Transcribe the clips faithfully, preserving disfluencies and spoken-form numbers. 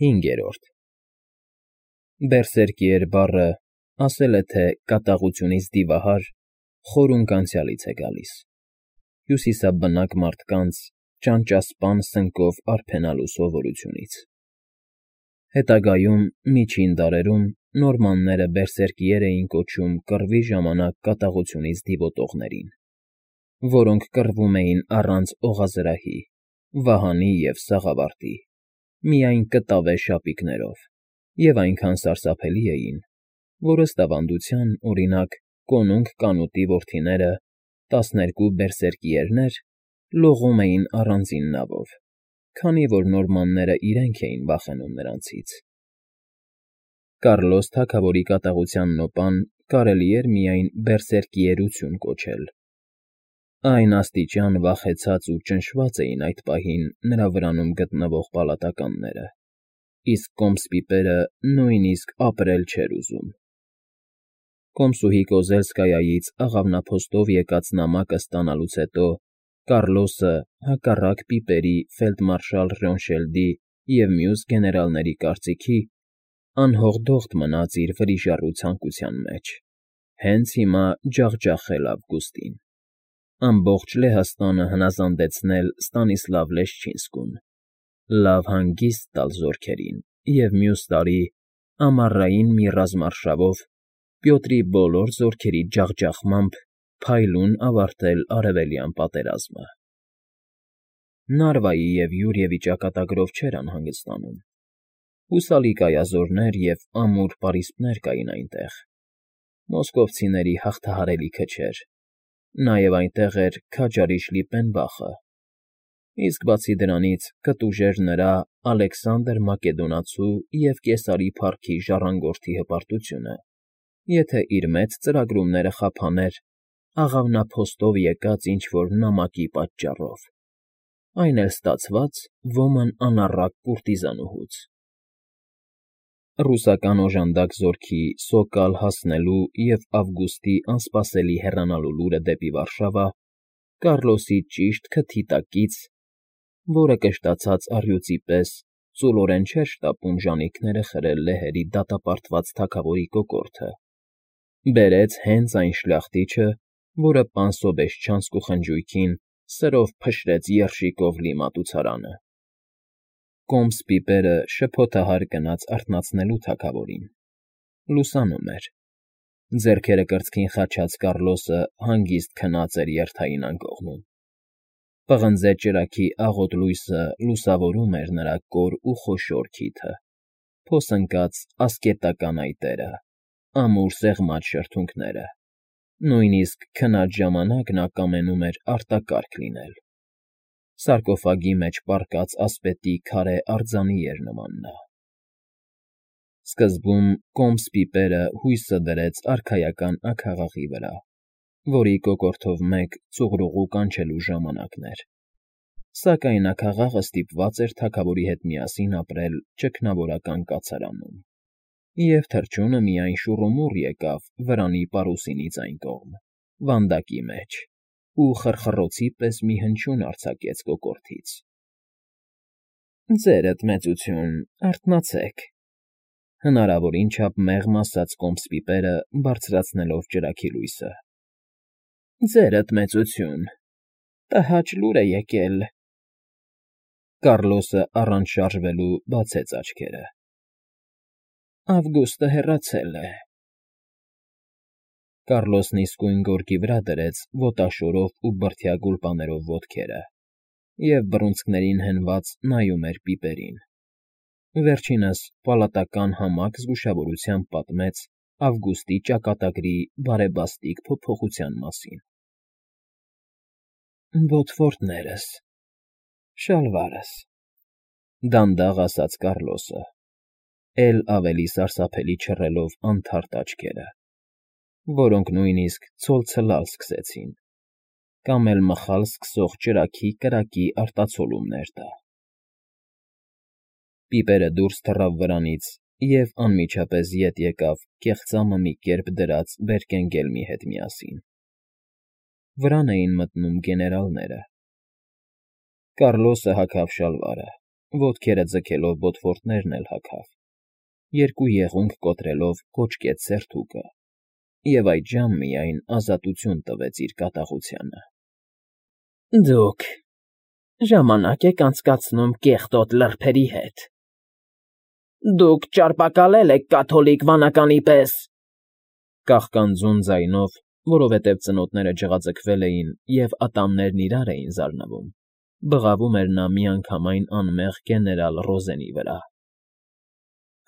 Հինգերորդ Բերսերկիեր բառը, ասել է թե կատաղությունից դիվահար, խորունկ անցյալից է գալիս, հյուսիսաբնակ մարդկանց ճանճասպան սնկով արբենալու սովորությունից։ Հետագայում, միջին դարերում, նորմանները բերսերկիեր էին կոչում կռվի ժամանակ կատաղությունից դիվոտողներին, որոնք կռվում էին առանց օղազրահի, վահանի և սաղավարտի, միայն կտավե շապիկներով, և այնքան սարսափելի էին, որ ըստ ավանդության, օրինակ, կոնունկ Կանուտի որդիները՝ տասներկու բերսերկիերներ, լողում էին առանձին նավով, քանի որ նորմանները իրենք էին վախենում նրանցից։ Կառլոս թագավորի կատաղության նոպան կարելի էր միայն բերսերկիերություն կոչել։ Այն աստիճան վախեցած ու ճնշված էին այդ պահին նրա վրանում գտնվող պալատականները, իսկ կոմս պիպերը նույնիսկ ապրել չէր ուզում։ Կոմսուհի Կոզելսկայայից աղավնափոստով եկած նամակը ստանալուց հետո Կառլոսը, հակառակ պիպերի ֆելդմարշալ Ռյոնշելդի և մյուս գեներալների կարծիքի, անհողդողդ մնաց իր վրիժառու ցանկության մեջ, հենց հիմա ջախջախել Ավգուստին, ամբողջ Լեհաստանը հնազանդեցնել Ստանիսլավ Լեշչինսկուն, լավ հանգիստ տալ զորքերին և մյուս տարի, ամառային մի ռազմարշավով, Պյոտրի բոլոր զորքերի ջախջախմամբ փայլուն ավարտել արևելյան պատերազմը։ Նարվայի և Յուրիևի ճակատագրով չէր անհանգստանում։ Հուսալի կայազորներ և ամուր պարիսպներ կային այնտեղ, մոսկովցիների հաղթահարելիքը չէր, նաև այնտեղ էր քաջարի Շլիպպենբախը, իսկ բացի դրանից կտուժեր նրա Ալեքսանդր Մակեդոնացու և Կեսարի փառքի ժառանգորդի հպարտությունը, եթե իր մեծ ծրագրումները խափաներ աղավնափոստով եկած ինչ֊որ նամակի պատճառով, այն էլ ստացված ոման անառակ կուրտիզանուհուց։ Ռուսական օժանդակ զորքի Սոկալ հասնելու և Ավգուստի անսպասելի հեռանալու լուրը դեպի Վարշավա Կառլոսի ճիշտ քթի տակից, որը կշտացած առյուծի պես ծուլորեն չէր շտապում ժանիքները խրել լեհերի դատապարտված թագավորի կոկորդը, բերեց հենց այն շլախտիչը, որը պան Սոբեշչանսկ ու խնջույքին սրով փշրեց երշիկով լի մատուցարանը։ Կոմս պիպերը շփոթահար գնաց արթնացնելու թագավորին։ Լուսանում էր։ Ձեռքերը կրծքին խաչած Կառլոսը հանգիստ քնած էր երթային անկողնում։ Պղնձե ճրագի աղոտ լույսը լուսավորում էր նրա կոր ու խոշոր քիթը, փոսընկած ասկետական այտերը, ամուր սեղմած շրթունքները, նույնիսկ քնած ժամանակ նա կամենում էր արտակարգ լինել։ Սարկոֆագի մեջ պառկած ասպետի քարե արձանի էր նման նա։ Սկզբում կոմս պիպերը հույսը դրեց արքայական աքաղաղի վրա, որի կոկորդով մեկ ծուղրուղու կանչելու ժամանակն էր, սակայն աքաղաղը ստիպված էր թագավորի հետ միասին ապրել ճգնավորական կացարանում, և թռչունը միայն շուռումուռ եկավ վրանի պարուսինից այն կողմ, վանդակի մեջ, ու խռխռոցի պես մի հնչյուն արձակեց կոկորդից. «Ձերդ մեծություն, արթնացեք», հնարավորին չափ մեղմ ասաց կոմս պիպերը, բարձրացնելով ճրագի լույսը։ «Ձերդ մեծություն, տհաճ լուր է եկել»։ Կառլոսը առանց շարժվելու բացեց աչքերը։ «Ավգուստը հեռացել է»։ Կառլոսն իսկույն գորգի վրա դրեց ոտաշորով ու բրդյա գուլպաներով ոտքերը և բռունցքներին հենված նայում էր պիպերին։ Վերջինս պալատական համակ զգուշավորությամբ պատմեց Ավգուստի ճակատագրի բարեբաստիկ փոփոխության մասին։ «Ոտվորդներս, շալվարս», դանդաղ ասաց Կառլոսը, էլ ավելի սարսափելի չռելով անթարթ աչքերը, որոնք նույնիսկ ցոլցլալ սկսեցին, կամ էլ մխալ սկսող ճրագի կրակի արտացոլումներ տա։ Պիպերը դուրս թռավ վրանից և անմիջապես ետ եկավ կեղծամը մի կերպ դրած Բերկենգելմի հետ միասին։ Վրան էին մտնում գեներալները։ Կառլոսը հագավ շալվարը, ոտքերը ձգելով բոթվորտներն էլ հագավ, երկու եղունգ կոտրելով կոճկեց սերթուկը և այդժամ միայն ազատություն տվեց իր կատաղությանը։ ֊ Դուք ժամանակ եք անցկացնում կեղտոտ լրբերի հետ, դուք ճարպակալել եք կաթոլիկ վանականի պես, կաղկանձում ձայնով, որովհետև ծնոտները ջղաձգվել էին և ատամներն իրար էին զարնվում, բղավում էր նա միանգամայն անմեղ գեներալ Ռոզենի վրա։ ֊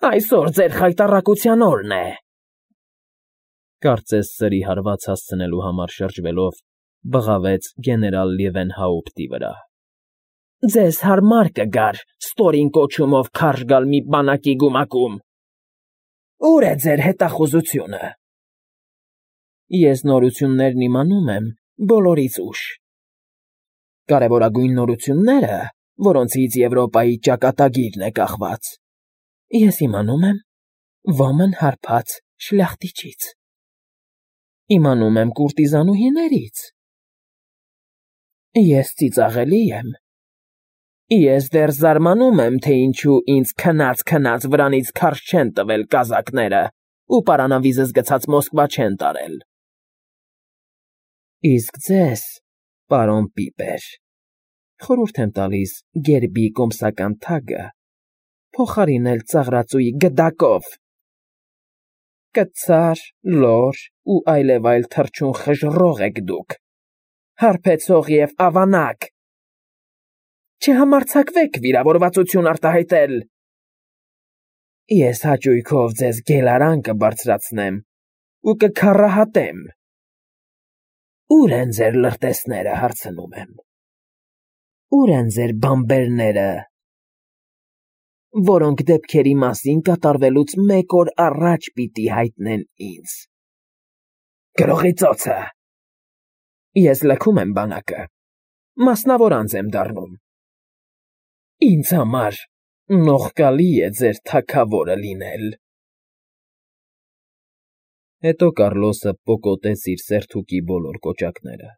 Այսօր ձեր խայտառակության օրն է, կարծես սրի հարված հասցնելու համար շրջվելով, բղավեց գեներալ Լիևենհաուպտի վրա։ ֊ Ձեզ հարմար կգար ստորին կոչումով քարշ գալ մի բանակի գումակում։ Ո՞ւր է ձեր հետախուզությունը։ ֊ Ես նորություններն իմանում եմ բոլորից ուշ։ Կարևորագույն նորությունները, որոնցից Եվրոպայի ճակատագիրն է կախված, ես իմանում եմ ոմն հարբած շլախտիչից, իմանում եմ կուրտիզանուհիներից, ես ծիծաղելի եմ, ես դեռ զարմանում եմ, թե ինչու ինձ քնած֊քնած վրանից քարշ չեն տվել կազակները ու պարանավիզս գցած Մոսկվա չեն տարել։ Իսկ ձեզ, պարոն Պիպեր, խորհուրդ եմ տալիս գերբի կոմսական թագը փոխարինել ծաղրածուի գդակով։ Կցար, լոր ու այլևայլ թռչուն խժռող եք դուք, հարբեցող և ավանակ։ Չհամարձակվեք վիրավորվածություն արտահայտել։ Ես հաճույքով ձեզ գելարան կբարձրացնեմ ու կքառահատեմ։ Ո՞ւր են ձեր լրտեսները, հարցնում եմ, ո՞ւր են ձեր բանբերները, որոնք դեպքերի մասին կատարվելուց մեկ օր առաջ պիտի հայտնեն ինձ։ Գրողի ծոցը։ Ես լքում եմ բանակը, մասնավոր անձ եմ դառնում։ Ինձ համար նողկալի է ձեր թագավորը լինել։ Հետո Կառլոսը պոկոտեց իր սերթուկի բոլոր կոճակները,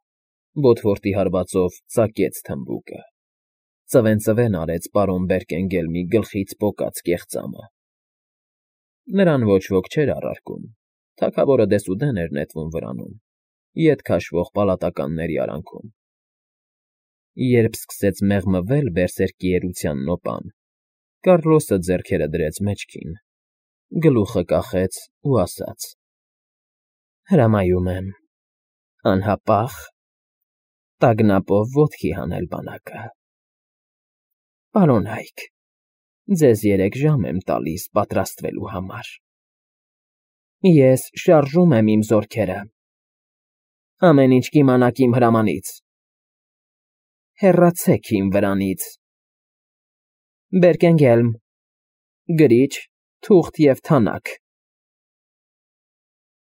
բոթվորտի հարվածով ծակեց թմբուկը, ծվեն֊ծվեն արեց պարոն Բերկենգելմի գլխից պոկած կեղծամը։ Նրան ոչ ոք չէր առարկում, թագավորը դեսուդեն էր նետվում վրանում, ետ քաշվող պալատականների արանքում։ Երբ սկսեց մեղմվել բերսերկի էրության նոպան, Կառլոսը ձեռքերը դրեց մեջքին, գլուխը կախեց ու ասաց. Հրամայում եմ անհապաղ տագնապով ոտքի հանել բանակը։ Պարոն Հայք, ձեզ երեք ժամ եմ տալիս պատրաստվելու համար։ Ես շարժում եմ իմ զորքերը։ Ամեն ինչ կիմանաք իմ հրամանից։ Հեռացեք իմ վրանից։ Բերկենգելմ, գրիչ, թուղթ և թանաք։